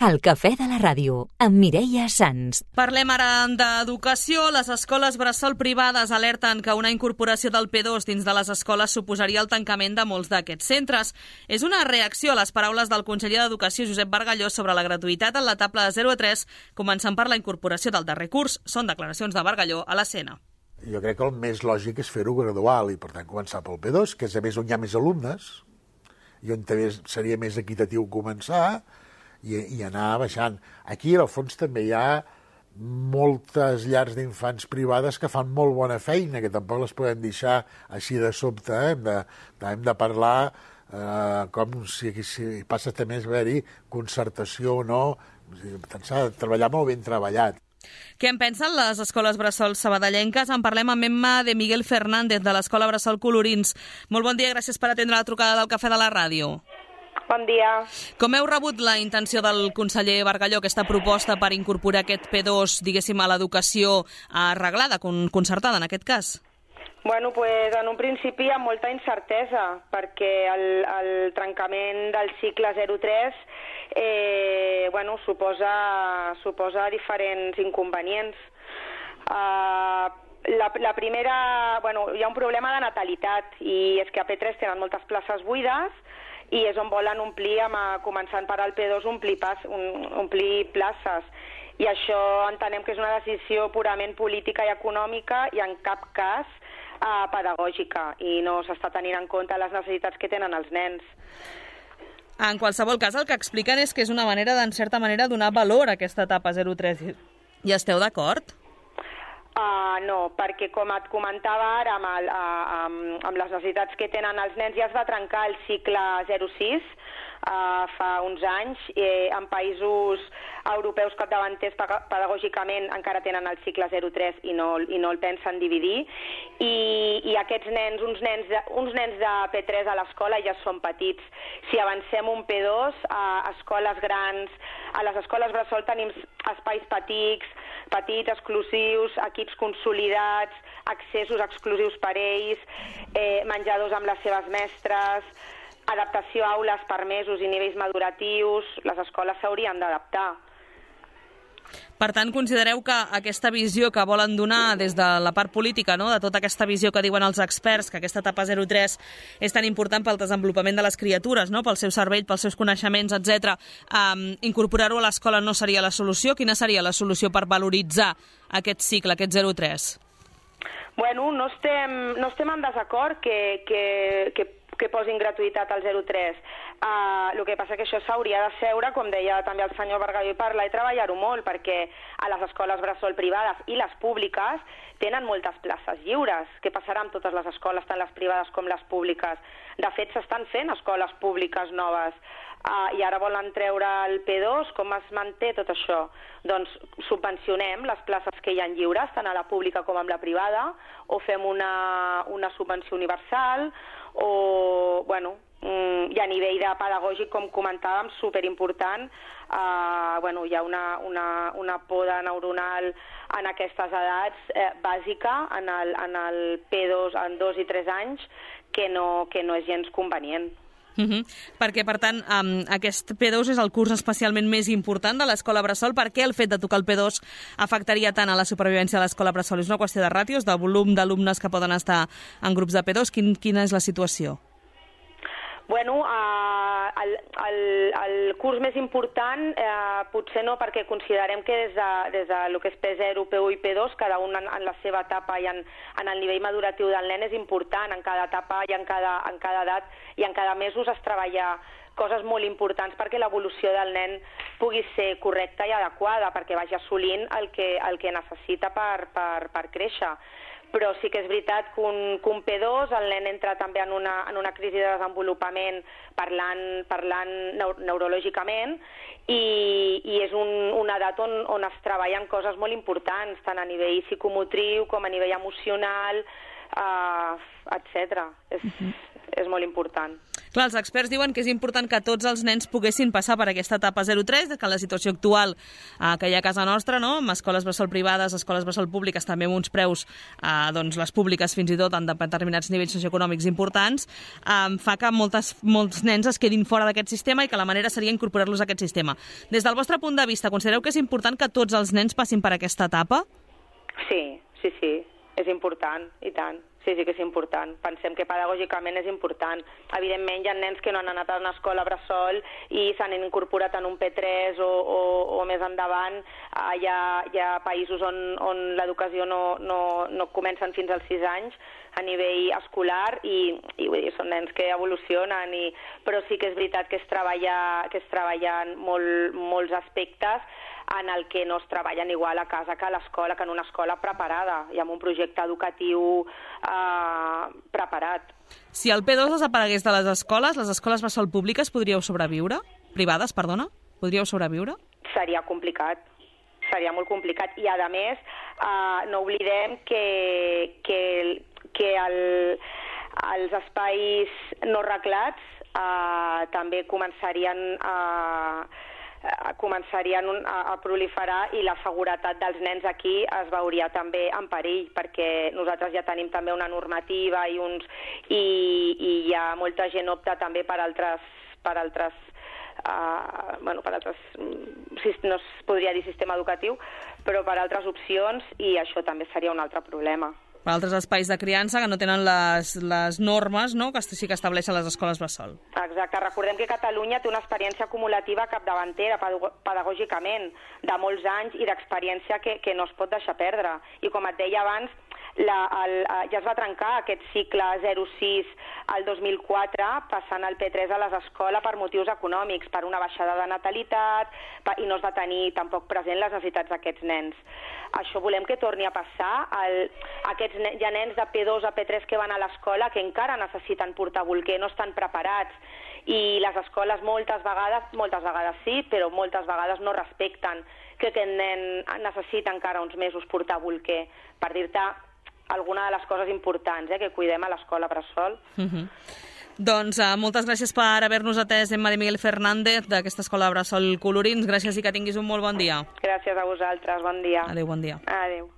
El cafè de la ràdio, amb Mireia Sans. Parlem ara d'educació. Les escoles bressol privades alerten que una incorporació del P2 dins de les escoles suposaria el tancament de molts d'aquests centres. És una reacció a les paraules del conseller d'Educació, Josep Bargalló, sobre la gratuïtat en l'etapa de 0 a 3, començant per la incorporació del darrer curs. Són declaracions de Bargalló a l'Escena. Jo crec que el més lògic és fer-ho gradual i, per tant, començar pel P2, que és a més on hi ha més alumnes, i on també seria més equitatiu començar, i anar baixant. Aquí, al fons, també hi ha moltes llars d'infants privades que fan molt bona feina, que tampoc les podem deixar així de sobte. Hem de parlar com si passa també a haver-hi concertació o no. S'ha de treballar molt ben treballat. Què en pensen les escoles bressol sabadellenques? En parlem amb Emma de Miguel Fernández, de l'Escola Bressol Colorins. Molt bon dia, gràcies per atendre la trucada del Cafè de la Ràdio. Bon dia. Com heu rebut la intenció del conseller Bargalló, aquesta proposta per incorporar aquest P2, diguéssim, a l'educació arreglada, concertada en aquest cas? Bueno, pues en un principi hi ha molta incertesa, perquè el trencament del cicle 0-3 suposa diferents inconvenients. La primera, hi ha un problema de natalitat, i és que a P3 tenen moltes places buides, i és on volen omplir, començant per al P2, omplir places. I això entenem que és una decisió purament política i econòmica i en cap cas pedagògica, i no s'està tenint en compte les necessitats que tenen els nens. En qualsevol cas, el que expliquen és que és una manera, en certa manera, donar valor a aquesta etapa 0-3. I esteu d'acord? No, perquè com et comentava ara, amb les necessitats que tenen els nens, ja es va trencar el cicle 0-6 fa uns anys. En països europeus capdavanters pedagògicament encara tenen el cicle 0-3 i no el pensen dividir. I aquests nens, uns nens de P3 a l'escola ja són petits. Si avancem un P2, a escoles grans, a les escoles bressol tenim espais petits, exclusius, equips consolidats, accessos exclusius per ells, menjadors amb les seves mestres, adaptació a aules per mesos i nivells maduratius. Les escoles s'haurien d'adaptar. Per tant, considereu que aquesta visió que volen donar des de la part política, no?, de tota aquesta visió que diuen els experts, que aquesta etapa 0-3 és tan important pel desenvolupament de les criatures, no?, pel seu cervell, pels seus coneixements, etc. Incorporar-ho a l'escola no seria la solució? Quina seria la solució per valoritzar aquest cicle, aquest 0-3? Bueno, no estem en desacord que posin gratuïtat al 0-3. El que passa que això s'hauria de seure, com deia també el senyor Bargalló, i parlar i treballar-ho molt, perquè a les escoles bressol privades i les públiques tenen moltes places lliures. Què passarà amb totes les escoles, tant les privades com les públiques? De fet, s'estan fent escoles públiques noves, i ara volen treure el P2. Com es manté tot això? Doncs subvencionem les places que hi ha lliures, tant a la pública com a la privada, o fem una subvenció universal, i a nivell de pedagògic, com comentàvem, superimportant. Hi ha una poda neuronal en aquestes edats bàsica, en el P2 en 2 i 3 anys, que no és gens convenient. Perquè, per tant, aquest P2 és el curs especialment més important de l'escola bressol. Per què el fet de tocar el P2 afectaria tant a la supervivència de l'escola bressol? És una qüestió de ràtios, de volum d'alumnes que poden estar en grups de P2? Quina és la situació? Bueno, el curs més important potser no, perquè considerem que des de lo que és P0, P1 i P2, cada un en la seva etapa i en el nivell maduratiu del nen és important. En cada etapa i en cada edat i en cada mesos es treballa coses molt importants perquè l'evolució del nen pugui ser correcta i adequada, perquè vagi assolint el que necessita per créixer. Però sí que és veritat que un P2, el nen entra també en una crisi de desenvolupament parlant neurològicament, i és una edat on es treballen coses molt importants, tant a nivell psicomotriu com a nivell emocional, etc. és molt important. Clar, els experts diuen que és important que tots els nens poguessin passar per aquesta etapa 0-3, que la situació actual que hi ha a casa nostra, no? Amb escoles bressol privades, escoles bressol públiques, també amb uns preus, doncs les públiques fins i tot en determinats nivells socioeconòmics importants, fa que molts nens es quedin fora d'aquest sistema i que la manera seria incorporar-los a aquest sistema. Des del vostre punt de vista, considereu que és important que tots els nens passin per aquesta etapa? Sí, és important, i tant. Sí que és important. Pensem que pedagògicament és important. Evidentment, hi ha nens que no han anat a una escola bressol i s'han incorporat en un P3 o més endavant. Hi ha països on l'educació no comencen fins als 6 anys a nivell escolar i vull dir, són nens que evolucionen, però sí que és veritat que es treballen molts aspectes en el que no es treballen igual a casa que a l'escola, que en una escola preparada i amb un projecte educatiu preparat. Si el P2 desaparegués de les escoles bressol públiques podríeu sobreviure? Privades, perdona? Podríeu sobreviure? Seria complicat. Seria molt complicat. I, a més, no oblidem que els espais no reglats també començarien a proliferar i la seguretat dels nens aquí es veuria també en perill, perquè nosaltres ja tenim també una normativa i hi ha molta gent opta també per altres no es podria dir sistema educatiu, però per altres opcions, i això també seria un altre problema. Per altres espais de criança que no tenen les normes, no?, que sí que estableixen les escoles bressol. Exacte. Recordem que Catalunya té una experiència acumulativa capdavantera pedagògicament de molts anys i d'experiència que no es pot deixar perdre. I com et deia abans, ja es va trencar aquest cicle 0-6 al 2004 passant el P3 a les escoles per motius econòmics, per una baixada de natalitat i no es va tenir tampoc present les necessitats d'aquests nens. Això volem que torni a passar. Hi ha nens de P2 a P3 que van a l'escola que encara necessiten portar bolquer, no estan preparats, i les escoles moltes vegades sí, però moltes vegades no respecten que aquest nen necessita encara uns mesos portar bolquer, per dir-te alguna de les coses importants que cuidem a l'escola bressol. Doncs moltes gràcies per haver-nos atès, Emma de Miguel Fernández, d'aquesta escola bressol Colorins. Gràcies i que tinguis un molt bon dia. Gràcies a vosaltres, bon dia. Adéu, bon dia. Adéu.